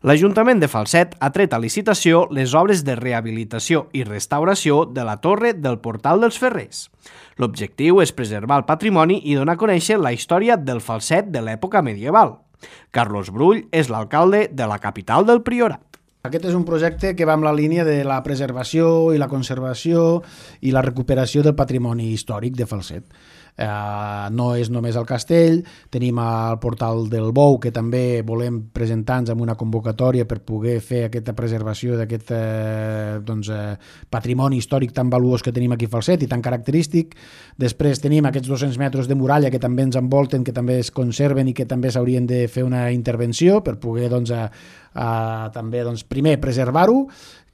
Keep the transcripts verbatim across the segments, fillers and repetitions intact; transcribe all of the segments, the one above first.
L'Ajuntament de Falset ha tret a licitació les obres de rehabilitació i restauració de la torre del Portal dels Ferrers. L'objectiu és preservar el patrimoni i donar a conèixer la història del Falset de l'època medieval. Carlos Brull és l'alcalde de la capital del Priorat. Aquest és un projecte que va amb la línia de la preservació i la conservació i la recuperació del patrimoni històric de Falset. Uh, no és només el castell, tenim el portal del Bou, que també volem presentar-nos amb una convocatòria per poder fer aquesta preservació d'aquest uh, doncs, uh, patrimoni històric tan valuós que tenim aquí a Falset i tan característic. Després tenim aquests dos-cents metres de muralla que també ens envolten, que també es conserven i que també s'haurien de fer una intervenció per poder doncs, uh, uh, també doncs, primer preservar-ho,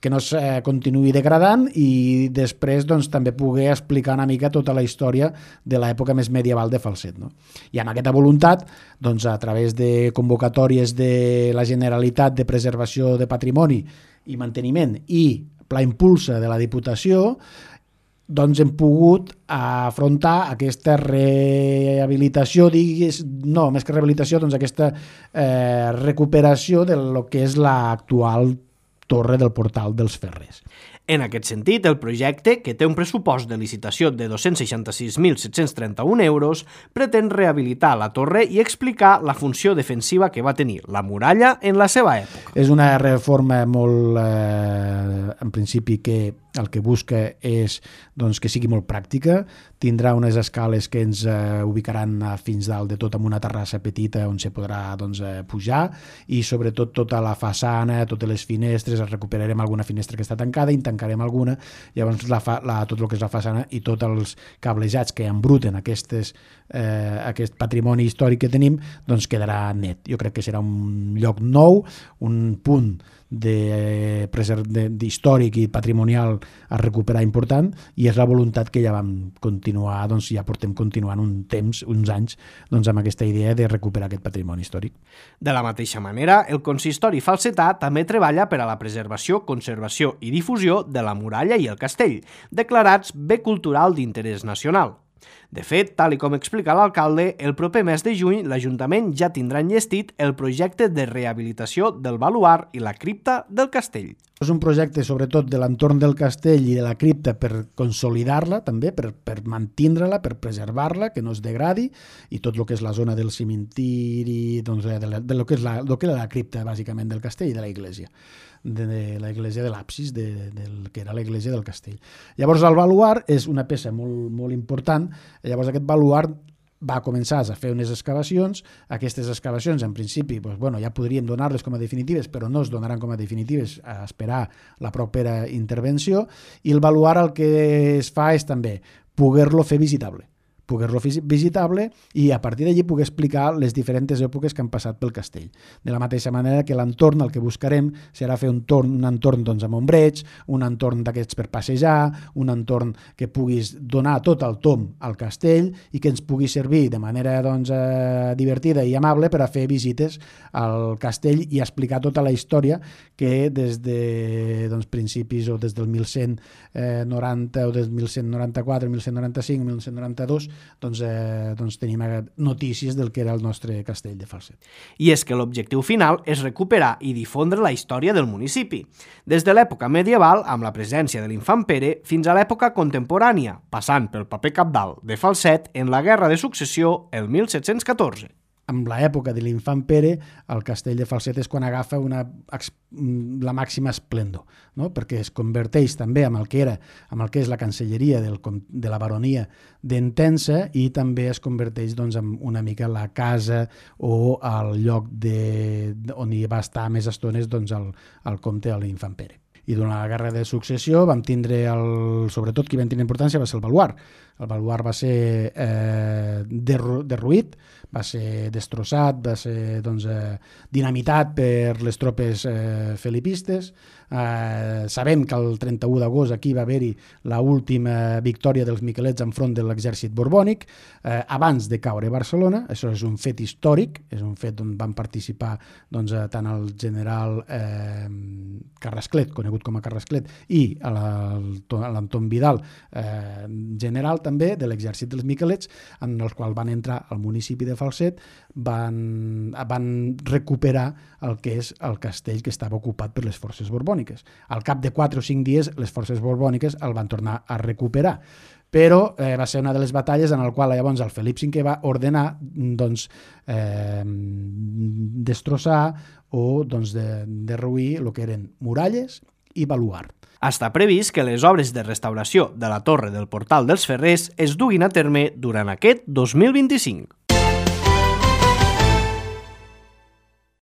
que no es eh, continuï degradant i després doncs, també poder explicar una mica tota la història de l'època més medieval de Falset. No? I amb aquesta voluntat, doncs, a través de convocatòries de la Generalitat de Preservació de Patrimoni i Manteniment i Pla Impulsa de la Diputació, doncs hem pogut afrontar aquesta rehabilitació, digues, no, més que rehabilitació, doncs aquesta eh, recuperació de lo que és l'actual torre del Portal dels Ferrers. En aquest sentit, el projecte, que té un pressupost de licitació de dos-cents seixanta-sis mil set-cents trenta-un euros, pretén rehabilitar la torre i explicar la funció defensiva que va tenir la muralla en la seva època. És una reforma molt, eh, en principi, que el que busca és doncs, que sigui molt pràctica. Tindrà unes escales que ens eh, ubicaran fins dalt de tot amb una terrassa petita on se podrà doncs, eh, pujar i sobretot tota la façana, totes les finestres, recuperarem alguna finestra que està tancada i en tancarem alguna, llavors la fa, la, tot el que és la façana i tots els cablejats que embruten aquestes, eh, aquest patrimoni històric que tenim, doncs quedarà net. Jo crec que serà un lloc nou, un punt de, de, de històric i patrimonial a recuperar important i és la voluntat que ja vam continuar, doncs ja portem continuant un temps, uns anys, doncs amb aquesta idea de recuperar aquest patrimoni històric. De la mateixa manera, el consistori falsetà també treballa per a la preservació, conservació i difusió de la muralla i el castell, declarats bé cultural d'interès nacional. De fet, tal i com explica l'alcalde, el proper mes de juny l'Ajuntament ja tindrà enllestit el projecte de rehabilitació del baluard i la cripta del castell. És un projecte sobretot de l'entorn del castell i de la cripta per consolidar-la també, per, per mantindre-la, per preservar-la, que no es degradi, i tot el que és la zona del cimentiri, doncs, de, la, de lo que és la, lo que és la cripta bàsicament del castell i de la iglesia. de, de la iglesia de l'absis, de, del que era la iglesia del castell. Llavors el baluard és una peça molt, molt important, llavors aquest baluard va començar a fer unes excavacions, aquestes excavacions en principi doncs, bueno, ja podríem donar-les com a definitives, però no es donaran com a definitives a esperar la propera intervenció, i el baluard el que es fa és també poder-lo fer visitable. poder-lo visitable i a partir d'allí poder explicar les diferents èpoques que han passat pel castell. De la mateixa manera que l'entorn, el que buscarem serà fer un, torn, un entorn doncs, amb ombreig, un entorn d'aquests per passejar, un entorn que puguis donar tot el tom al castell i que ens pugui servir de manera doncs, eh, divertida i amable per a fer visites al castell i explicar tota la història que des de doncs, principis o des del mil cent noranta o des del mil cent noranta-quatre, mil cent noranta-cinc, mil cent noranta-dos Doncs, eh, doncs tenim notícies del que era el nostre castell de Falset. I és que l'objectiu final és recuperar i difondre la història del municipi, des de l'època medieval amb la presència de l'infant Pere fins a l'època contemporània, passant pel paper cabdal de Falset en la Guerra de Successió el mil set-cents catorze. Amb l'època de l'infant Pere, el castell de Falset és quan agafa una, la màxima esplendor, no? Perquè es converteix també en el que era, en el que és la cancelleria del, de la baronia d'Entença i també es converteix doncs, en una mica la casa o el lloc de, on hi va estar més estones doncs, el, el comte de l'infant Pere. I durant la Guerra de Successió vam tindre, el, sobretot qui va tenir importància va ser el baluard. El baluard va ser eh, derruït, va ser destrossat, va ser doncs, eh, dinamitat per les tropes eh, felipistes. Eh, sabem que el trenta-u d'agost aquí va haver-hi l'última victòria dels miquelets enfront de l'exèrcit borbònic, eh, abans de caure Barcelona. Això és un fet històric, és un fet on van participar doncs, tant el general eh, Carrasclet, conegut com a Carrasclet, i a l'Anton Vidal, eh, general també de l'exèrcit dels Miquelets, en el qual van entrar al municipi de Falset, van, van recuperar el que és el castell que estava ocupat per les forces borbòniques. Al cap de quatre o cinc dies, les forces borbòniques el van tornar a recuperar. Però eh, va ser una de les batalles en la qual llavors el Felip cinquè va ordenar doncs, eh, destrossar o doncs, de, derruir el que eren muralles i baluard. Està previst que les obres de restauració de la torre del Portal dels Ferrers es duguin a terme durant aquest dos mil vint-i-cinc.